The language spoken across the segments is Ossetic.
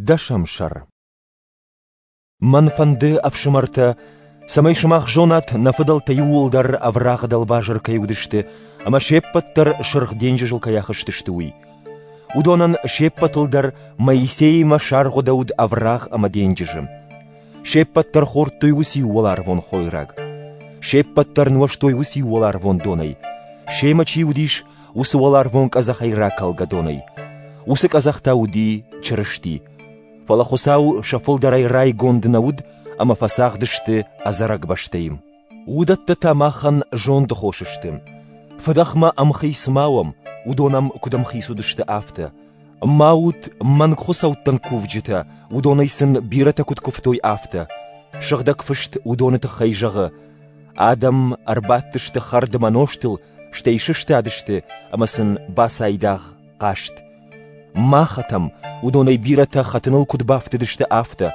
Дӕсӕм сӕр. Мӕн фӕнды, ӕфсымӕртӕ, цӕмӕй сымах зонат, нӕ фыдӕлтӕ иууылдӕр ӕврагъы дӕлбазыр кӕй уыдысты ӕмӕ се ппӕт дӕр Сырх денджызыл кӕй ахызтысты, уый. Уыдонӕн се ппӕтыл дӕр Моисеимӕ саргъуыдӕуыд ӕврагъ ӕмӕ денджызы. Се ппӕт дӕр хордтой уыциу уӕларвон хойраг. Се ппӕт дӕр нуӕзтой уыциу уӕларвон донӕй. Семӕ чи уыдис, уыцы уӕларвон къӕдзӕхӕй ракӕлгӕ донӕй. Уыцы къӕдзӕх та уыди Чырысти. Фӕлӕ Хуыцау сӕ фылдӕрӕй райгонд нӕ уыд ӕмӕ фӕцагъды сты ӕдзӕрӕг бӕстӕйы. Уыдӕттӕ та махӕн зонды хос сты. Фыдӕхмӕ ӕмхиц ма уӕм, уыдон ӕм куыд ӕмхиц уыдысты, афтӕ. Ма ут мӕнг хуыцӕуттӕн кувджытӕ, уыдонӕй сын бирӕтӕ куыд куывтой, афтӕ. Сыгъдӕг Фыст уыдоны тыххӕй зӕгъы: Адӕм ӕрбадтысты хӕрд ӕмӕ нозтыл, стӕй сыстадысты ӕмӕ сын бацайдагъ хъазт. Ма хӕтӕм, уыдонӕй бирӕтӕ хӕтыныл куыд бафтыдысты, афтӕ.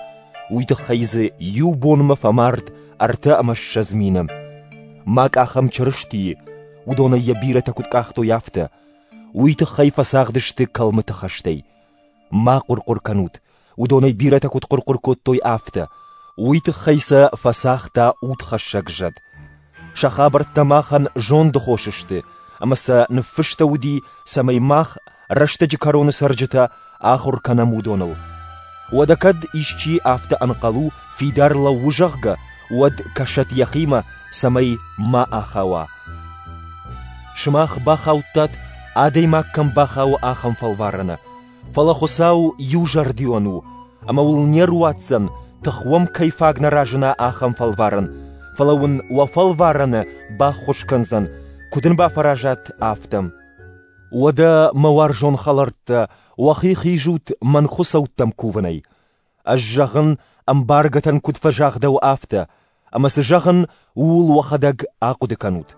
Уый тыххӕй дзы иу бонмӕ фӕмард 63 мины. Ма къахӕм Чырыстийы, уыдонӕй йӕ бирӕтӕ куыд къахтой, афтӕ. Уый тыххӕй фӕцагъды сты кӕлмыты хӕстӕй. Ма хъуыр-хъуыр кӕнут, уыдонӕй бирӕтӕ куыд хъуыр-хъуыр кодтой, афтӕ. Уый тыххӕй сӕ фӕцагъта удхӕссӕг зӕд. Сӕ хабӕрттӕ махӕн зонды хос сты, ӕмӕ сӕ ныффыстӕуыди, цӕмӕй мах, рӕстӕджы кӕроны цӕрджытӕ, ахуыр кӕнӕм уыдоныл. Уӕдӕ кӕд исчи афтӕ ӕнхъӕл у, фидар лӕууы, зӕгъгӕ, уӕд кӕсӕт йӕхимӕ, цӕмӕй ма ахауа. Сымах бахаудтат, адӕймаг кӕм бахауы, ахӕм фӕлварӕны. Фӕлӕ Хуыцау иузӕрдион у, ӕмӕ уыл не руадздзӕн, тых уӕм кӕй фаг нӕ разына, ахӕм фӕлварӕн, фӕлӕ уын уӕ фӕлварӕны баххуыс кӕндзӕн, куыд ын бафӕразат, афтӕ. Уӕдӕ, мӕ уарзон хӕлӕрттӕ, уӕхи хизут мӕнгхуыцӕуттӕм кувынӕй. Ӕз зӕгъын, ӕмбаргӕтӕн куыд фӕзагъдӕуы, афтӕ, ӕмӕ цы зӕгъын, ууыл уӕхӕдӕг ахъуыды кӕнут.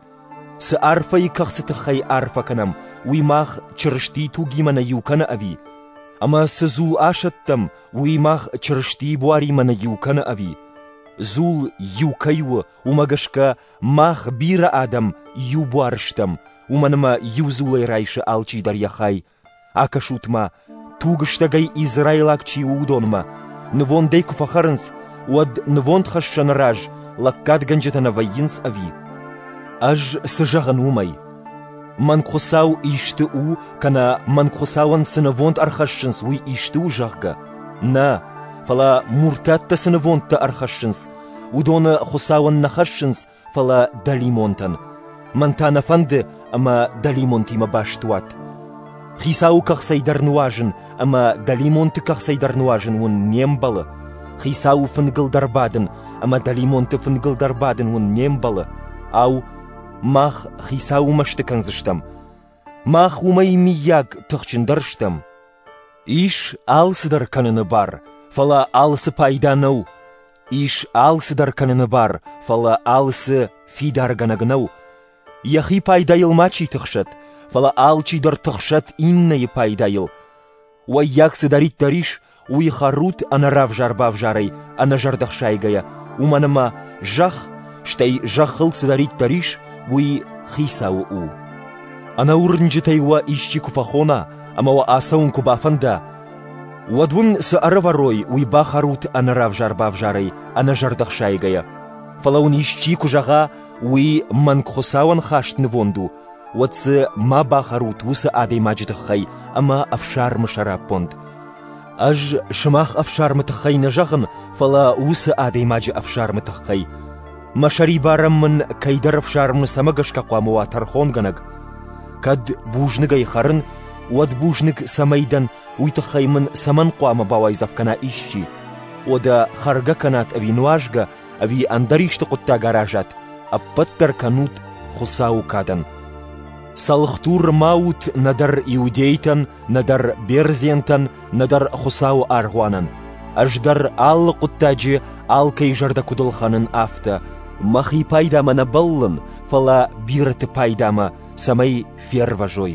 Цы арфӕйы кӕхцы тыххӕй арфӕ кӕнӕм, уый мах Чырыстийы тугимӕ нӕ иу кӕны ӕви? Ӕмӕ цы дзул асӕттӕм, уый мах Чырыстийы буаримӕ нӕ иу кӕны ӕви? Дзул иу кӕй у, уымӕ гӕсгӕ мах бирӕ адӕм иу буар стӕм, уымӕн ӕмӕ иу дзулӕй райсы алчидӕр йӕ хай. Акӕсут-ма, тугыстӕгӕй израилаг чи у, уыдонмӕ. Нывондӕй куы фӕхӕрынц, уӕд нывондхӕссӕны раз лӕггадгӕнджытӕ нӕ вӕййынц ӕви? Ӕз цы зӕгъын уымӕй? Мӕнгхуыцау исты у, кӕнӕ мӕнгхуыцауӕн цы нывонд ӕрхӕссынц, уый исты у, зӕгъгӕ? Нӕ, фӕлӕ муртаттӕ цы нывондтӕ ӕрхӕссынц, уыдоны Хуыцауӕн нӕ хӕссынц, фӕлӕ дӕлимонтӕн. Мӕн та нӕ фӕнды, ӕмӕ дӕлимонтимӕ баст уат. Хицауы кӕхцӕй дӕр нуазын ӕмӕ дӕлимонты кӕхцӕй дӕр нуазын уын не мбӕлы. Хицауы фынгыл дӕр бадын ӕмӕ дӕлимонты фынгыл дӕр бадын уын не мбӕлы. Ау, мах хицауы мӕсты кӕндзыстӕм. Мах уымӕй миййаг тыхджындӕр стӕм. Ис алцыдӕр кӕныны бар, фӕлӕ алцы пайда нӕу. Ис алцыдӕр кӕныны бар, фӕлӕ алцы фидаргӕнӕг нӕу. Йӕхи пайдайыл мачи тыхсӕд, фӕлӕ алчидӕр тыхсӕд иннӕйы пайдайыл. Уӕййаг цыдӕриддӕр ис, уый хӕрут ӕнӕравзар-бавзарӕй, ӕнӕзӕрдӕхсайгӕйӕ, уымӕн ӕмӕ зӕхх, стӕй зӕххыл цыдӕриддӕр ис, уый Хицауы у. Ӕнӕуырнджытӕй уӕ исчи куы фӕхона ӕмӕ уӕ ацӕуын куы бафӕнда, уӕд уын цы ӕрӕвӕрой, уый бахӕрут ӕнӕравзар-бавзарӕй, ӕнӕзӕрдӕхсайгӕйӕ. Фӕлӕ уын исчи куы зӕгъа, уый мӕнг хуыцауӕн хаст нывонд у, уӕд дзы ма бахӕрут уыцы адӕймаджы тыххӕй ӕмӕ ӕфсармы сӕраппонд. Ӕз сымах ӕфсармы тыххӕй нӕ зӕгъын, фӕлӕ уыцы адӕймаджы ӕфсармы тыххӕй. Мӕ сӕрибарӕн мын кӕйдӕр ӕфсармы цӕмӕ гӕсгӕ хъуамӕ уа тӕрхонгӕнӕг? Кӕд бузныгӕй хӕрын, уӕд бузныг цӕмӕй дӕн, уый тыххӕй мын цӕмӕн хъуамӕ бауайдзӕф кӕна исчи? Уӕдӕ хӕргӕ кӕнат ӕви нуазгӕ, ӕви ӕндӕр исты хъуыддаг аразат, ӕппӕт дӕр кӕнут Хуыцауы кадӕн. Цӕлхдур ма ут нӕдӕр иудейтӕн, нӕдӕр бердзентӕн, нӕдӕр Хуыцауы аргъуанӕн. Ӕз дӕр алы хъуыддаджы алкӕй зӕрдӕ куыд ӕлхӕнын, афтӕ. Мӕхи пайдамӕ нӕ бӕллын, фӕлӕ бирӕты пайдамӕ, цӕмӕй фервӕзой.